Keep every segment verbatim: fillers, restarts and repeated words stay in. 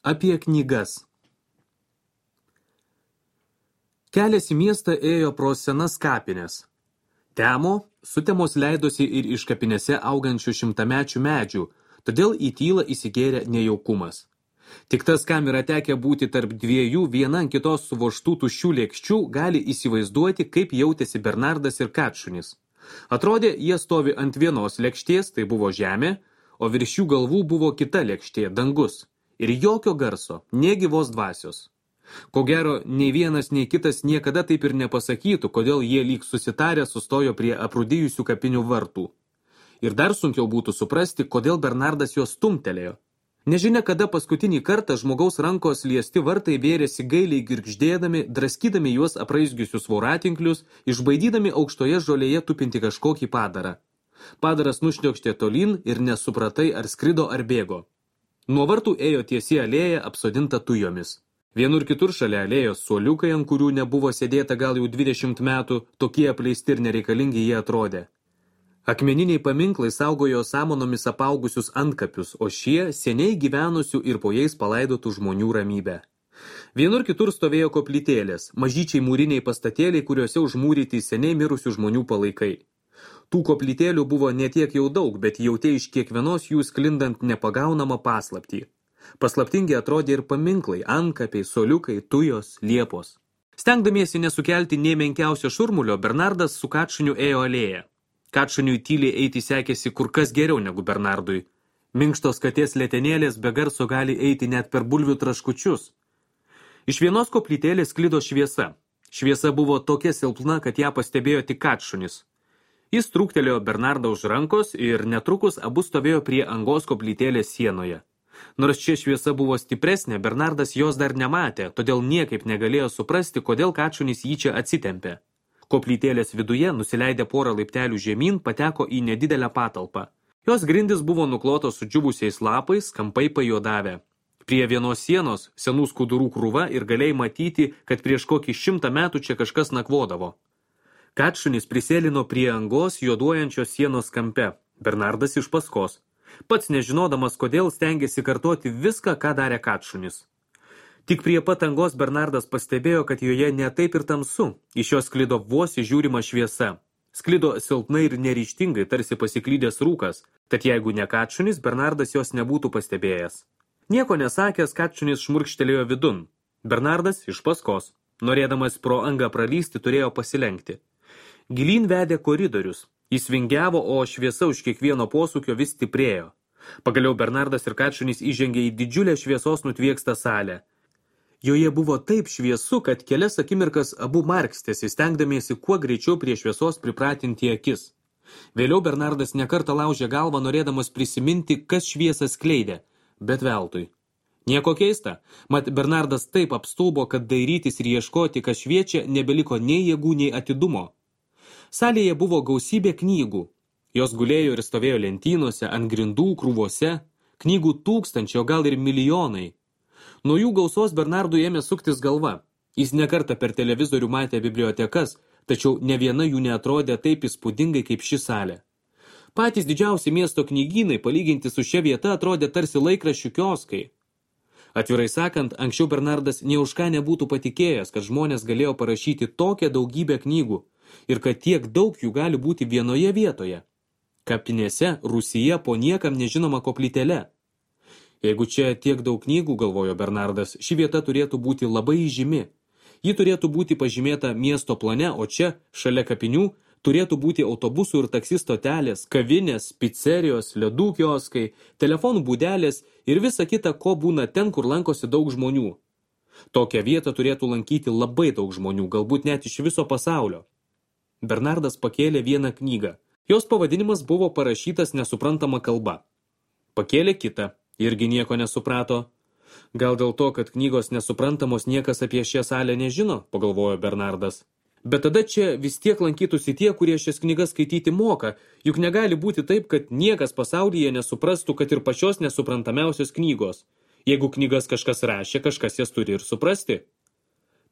Apie knygas. Kelias į miestą ėjo pro senas kapines. Temo, sutemos leidosi ir iš kapinėse augančių šimtamečių medžių, todėl į tylą įsigėrė nejaukumas. Tik tas, kam yra tekę būti tarp dviejų viena ant kitos suvoštų tuščių lėkščių, gali įsivaizduoti, kaip jautėsi Bernardas ir Katšunis. Atrodė, jie stovi ant vienos lėkštės, tai buvo žemė, o virš jų galvų buvo kita lėkštė, dangus. Ir jokio garso, nė gyvos dvasios. Ko gero, nei vienas, nei kitas niekada taip ir nepasakytų, kodėl jie lyg susitarę sustojo prie aprūdijusių kapinių vartų. Ir dar sunkiau būtų suprasti, kodėl Bernardas juos stumtelėjo. Nežinia, kada paskutinį kartą žmogaus rankos liesti vartai vėrėsi gailiai girgždėdami, draskydami juos apraizgiusius voratinklius, išbaidydami aukštoje žolėje tupinti kažkokį padarą. Padaras nušniokštė tolyn ir nesupratai, ar skrido ar bėgo. Nuo vartų ėjo tiesi alėja apsodinta tujomis. Vienur kitur šalia alėjos suoliukai, ant kurių nebuvo sėdėta gal jau dvidešimt metų, tokie apleisti ir nereikalingi jie atrodė. Akmeniniai paminklai saugojo samanomis apaugusius antkapius, o šie seniai gyvenusių ir po jais palaidotų žmonių ramybę. Vienur kitur stovėjo koplytėlės, mažyčiai mūriniai pastatėliai, kuriuose užmūryti seniai mirusių žmonių palaikai. Tų koplytėlių buvo ne tiek jau daug, bet jautė iš kiekvienos jų sklindant nepagaunamą paslaptį. Paslaptingi atrodė ir paminklai, antkapiai, soliukai, tujos, liepos. Stengdamiesi nesukelti nei menkiausio šurmulio, Bernardas su Katšuniu ėjo alėją. Katšuniui tyliai eiti sekėsi kur kas geriau negu Bernardui. Minkštos katės letenėlės be garso gali eiti net per bulvių traškučius. Iš vienos koplytėlės sklido šviesa. Šviesa buvo tokia silpna, kad ją pastebėjo tik Katšunis. Jis trūktelėjo Bernardą už rankos ir netrukus abu stovėjo prie angos koplytėlės sienoje. Nors čia šviesa buvo stipresnė, Bernardas jos dar nematė, todėl niekaip negalėjo suprasti, kodėl Katšunis jį čia atsitempė. Koplytėlės viduje, nusileidę porą laiptelių žemyn, pateko į nedidelę patalpą. Jos grindys buvo nuklotos sudžiuvusiais lapais, kampai pajuodavę. Prie vienos sienos senų skudurų krūva ir galėjai matyti, kad prieš kokį šimtą metų čia kažkas nakvodavo. Katšunis prisėlino prie angos juoduojančios sienos kampe, Bernardas iš paskos. Pats nežinodamas, kodėl stengėsi kartoti viską, ką darė Katšunis. Tik prie pat angos Bernardas pastebėjo, kad joje ne taip ir tamsu, iš jos sklido vos įžiūrima šviesa. Sklido silpnai ir neryžtingai, tarsi pasiklydęs rūkas, tad jeigu ne Katšunis, Bernardas jos nebūtų pastebėjęs. Nieko nesakęs, Katšunis šmurkštelėjo vidun. Bernardas iš paskos, norėdamas pro angą pralysti, turėjo pasilenkti. Gilyn vedė koridorius. Jis vingiavo, o šviesa už kiekvieno posūkio vis stiprėjo. Pagaliau Bernardas ir Katšunis įžengė į didžiulę šviesos nutviekstą salę. Joje buvo taip šviesu, kad kelias akimirkas abu markstėsi, stengdamiesi kuo greičiau prie šviesos pripratinti akis. Vėliau Bernardas nekartą laužė galvą, norėdamas prisiminti, kas šviesą skleidė, bet veltui. Nieko keista, mat Bernardas taip apstulbo, kad dairytis ir ieškoti, kas šviečia, nebeliko nei jėgų, nei atidumo. Salėje buvo gausybė knygų. Jos gulėjo ir stovėjo lentynose, ant grindų, krūvose. Knygų tūkstančio, gal ir milijonai. Nuo jų gausos Bernardui ėmė suktis galva. Jis nekartą per televizorių matė bibliotekas, tačiau ne viena jų neatrodė taip įspūdingai kaip ši salė. Patys didžiausi miesto knygynai, palyginti su šia vieta, atrodė tarsi laikraščių kioskai. Atvirai sakant, anksčiau Bernardas nė už ką nebūtų patikėjęs, kad žmonės galėjo parašyti tokią daugybę knygų ir kad tiek daug jų gali būti vienoje vietoje. Kapinėse, Rūsyje, po niekam nežinoma koplytele. Jeigu čia tiek daug knygų, galvojo Bernardas, ši vieta turėtų būti labai įžymi. Ji turėtų būti pažymėta miesto plane, o čia, šalia kapinių, turėtų būti autobusų ir taksi stotelės, kavinės, picerijos, ledų kioskai, telefonų būdelės ir visa kita, ko būna ten, kur lankosi daug žmonių. Tokią vietą turėtų lankyti labai daug žmonių, galbūt net iš viso pasaulio. Bernardas pakėlė vieną knygą. Jos pavadinimas buvo parašytas nesuprantama kalba. Pakėlė kitą, irgi nieko nesuprato. Gal dėl to, kad knygos nesuprantamos niekas apie šią salę nežino, pagalvojo Bernardas. Bet tada čia vis tiek lankytųsi tie, kurie šias knygas skaityti moka, juk negali būti taip, kad niekas pasaulyje nesuprastų, kad ir pačios nesuprantamiausios knygos. Jeigu knygas kažkas rašė, kažkas jas turi ir suprasti.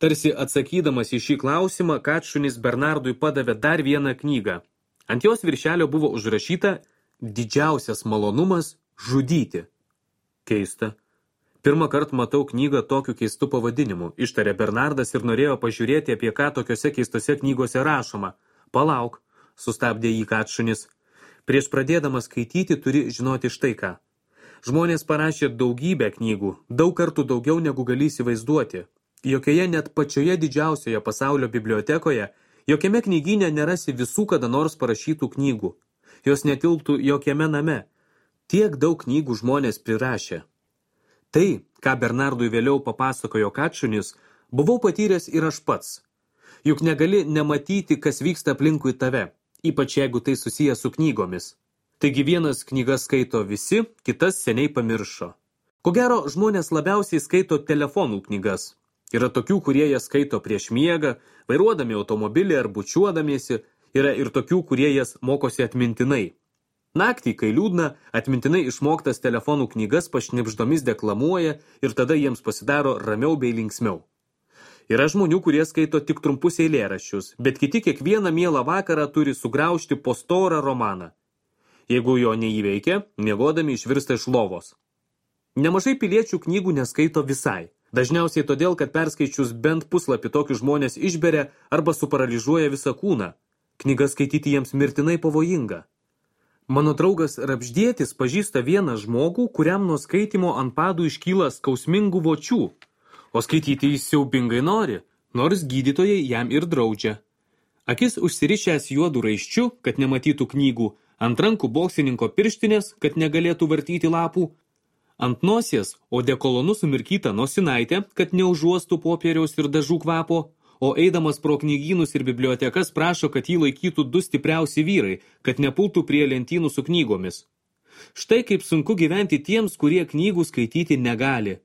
Tarsi atsakydamas į šį klausimą, Katšunis Bernardui padavė dar vieną knygą. Ant jos viršelio buvo užrašyta didžiausias malonumas žudyti. Keista. Pirmą kartą matau knygą tokiu keistu pavadinimu, ištarė Bernardas ir norėjo pažiūrėti, apie ką tokiose keistose knygose rašoma. Palauk, sustabdė jį Katšunis. Prieš pradėdamas skaityti turi žinoti štai ką. Žmonės parašė daugybę knygų, daug kartų daugiau negu gali įsivaizduoti. Jokioje net pačioje didžiausioje pasaulio bibliotekoje, jokiame knygyne nerasi visų kada nors parašytų knygų. Jos netilptų jokiame name. Tiek daug knygų žmonės prirašė. Tai, ką Bernardui vėliau papasakojo Katšunis, buvau patyręs ir aš pats. Juk negali nematyti, kas vyksta aplinkui tave, ypač jeigu tai susiję su knygomis. Taigi vienas knygas skaito visi, kitas seniai pamiršo. Ko gero, žmonės labiausiai skaito telefonų knygas. Yra tokių, kurie jas skaito prieš miegą, vairuodami automobilį ar bučiuodamiesi, yra ir tokių, kurie jas mokosi atmintinai. Naktį, kai liūdna, atmintinai išmoktas telefonų knygas pašnibždomis deklamuoja ir tada jiems pasidaro ramiau bei linksmiau. Yra žmonių, kurie skaito tik trumpus eilėraščius, bet kiti kiekvieną mielą vakarą turi sugraužti po storą romaną. Jeigu jo neįveikia, miegodami išvirsta iš lovos. Nemažai piliečių knygų neskaito visai. Dažniausiai todėl, kad perskaičius bent puslapį tokius žmonės išberia arba suparaližuoja visą kūną. Knyga skaityti jiems mirtinai pavojinga. Mano draugas Rapždėtis pažįsta vieną žmogų, kuriam nuo skaitimo ant padų iškyla skausmingų vočių. O skaityti jis siaubingai nori, nors gydytojai jam ir draudžia. Akis užsirišęs juodų raiščių, kad nematytų knygų, ant rankų boksininko pirštinės, kad negalėtų vartyti lapų, ant nosies odekolonu sumirkyta nosinaitė, kad neužuostų popieriaus ir dažų kvapo, o eidamas pro knygynus ir bibliotekas prašo, kad jį laikytų du stipriausi vyrai, kad nepultų prie lentynų su knygomis. Štai kaip sunku gyventi tiems, kurie knygų skaityti negali.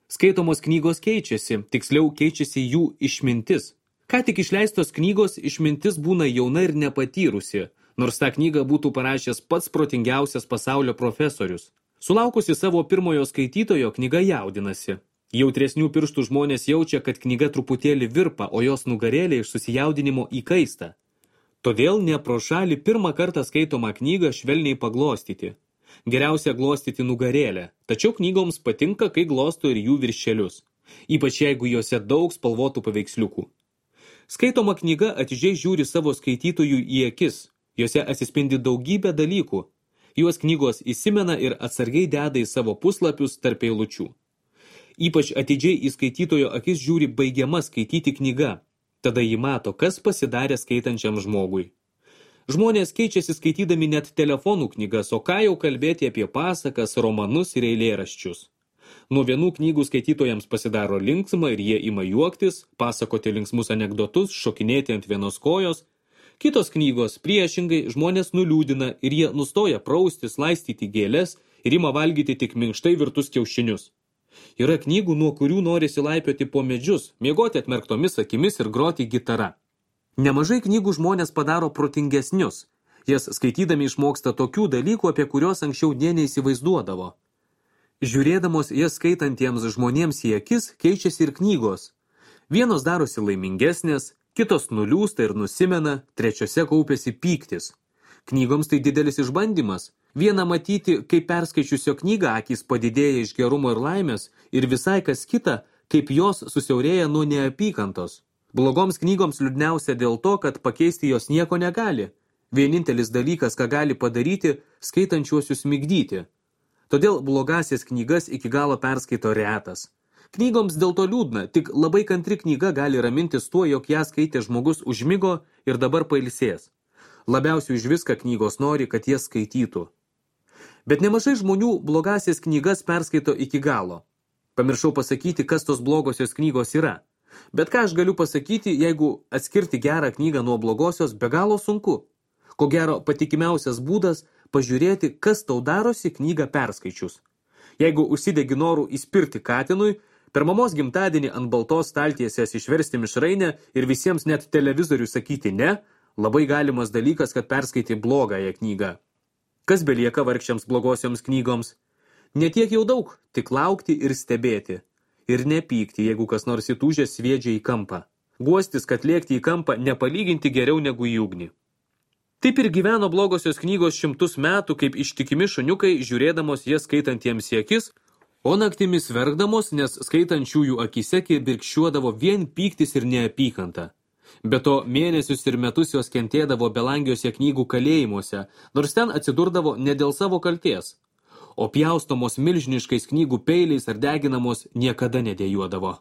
Skaitomos knygos keičiasi, tiksliau keičiasi jų išmintis. Ką tik išleistos knygos išmintis būna jauna ir nepatyrusi, nors tą knygą būtų parašęs pats protingiausias pasaulio profesorius. Sulaukusi savo pirmojo skaitytojo, knyga jaudinasi. Jautresnių pirštų žmonės jaučia, kad knyga truputėlį virpa, o jos nugarėlė iš susijaudinimo įkaista. Todėl ne pro šalį pirmą kartą skaitomą knygą švelniai paglostyti. Geriausia glostyti nugarėlę, tačiau knygoms patinka, kai glosto ir jų viršelius, ypač jeigu juose daug spalvotų paveiksliukų. Skaitoma knyga atidžiai žiūri savo skaitytojų į akis, jose atsispindi daugybė dalykų. Juos knygos įsimena ir atsargiai deda į savo puslapius tarp eilučių. Ypač atidžiai į skaitytojo akis žiūri baigiama skaityti knyga. Tada jį mato, kas pasidarė skaitančiam žmogui. Žmonės keičiasi skaitydami net telefonų knygas, o ką jau kalbėti apie pasakas, romanus ir eilėraščius. Nuo vienų knygų skaitytojams pasidaro linksma ir jie ima juoktis, pasakoti linksmus anekdotus, šokinėti ant vienos kojos. Kitos knygos priešingai žmonės nuliūdina ir jie nustoja praustis, laistyti gėles ir ima valgyti tik minkštai virtus kiaušinius. Yra knygų, nuo kurių norisi laipioti po medžius, miegoti atmerktomis akimis ir groti gitara. Nemažai knygų žmonės padaro protingesnius. Jas skaitydami išmoksta tokių dalykų, apie kuriuos anksčiau nė neįsivaizduodavo. Žiūrėdamos jas skaitantiems žmonėms į akis, keičiasi ir knygos. Vienos darosi laimingesnės, kitos nuliūsta ir nusimena, trečiose kaupiasi pyktis. Knygoms tai didelis išbandymas. Viena matyti, kaip perskaičiusio knygą akys padidėja iš gerumo ir laimės, ir visai kas kita, kaip jos susiaurėja nuo neapykantos. Blogoms knygoms liūdniausia dėl to, kad pakeisti jos nieko negali. Vienintelis dalykas, ką gali padaryti, skaitančiuosius migdyti. Todėl blogasias knygas iki galo perskaito retas. Knygoms dėl to liūdna, tik labai kantri knyga gali ramintis tuo, jog ją skaitė žmogus užmigo ir dabar pailsės. Labiausiai už viską knygos nori, kad jas skaitytų. Bet nemažai žmonių blogasias knygas perskaito iki galo. Pamiršau pasakyti, kas tos blogosios knygos yra. Bet ką aš galiu pasakyti, jeigu atskirti gerą knygą nuo blogosios be galo sunku. Ko gero patikimiausias būdas pažiūrėti, kas tau darosi knygą perskaičius. Jeigu užsidegi norų įspirti katinui, per mamos gimtadienį ant baltos staltiesės išversti mišrainę ir visiems net televizorių sakyti ne, labai galimas dalykas, kad perskaitė blogąją knygą. Kas belieka vargšiams blogosioms knygoms? Netiek jau daug, tik laukti ir stebėti. Ir nepykti, jeigu kas nors įtūžęs sviedžia į kampą. Guostis, kad lėkti į kampą nepalyginti geriau negu į ugnį. Taip ir gyveno blogosios knygos šimtus metų, kaip ištikimi šuniukai, žiūrėdamos jas skaitantiems į akis, O naktimis verkdamos, nes skaitančiųjų akise kibirkščiuodavo vien pyktis ir neapykanta. Be to, mėnesius ir metus jos kentėdavo belangiuose knygų kalėjimuose, nors ten atsidurdavo ne dėl savo kalties. O pjaustomos milžiniškais knygų peiliais ar deginamos niekada nedėjuodavo.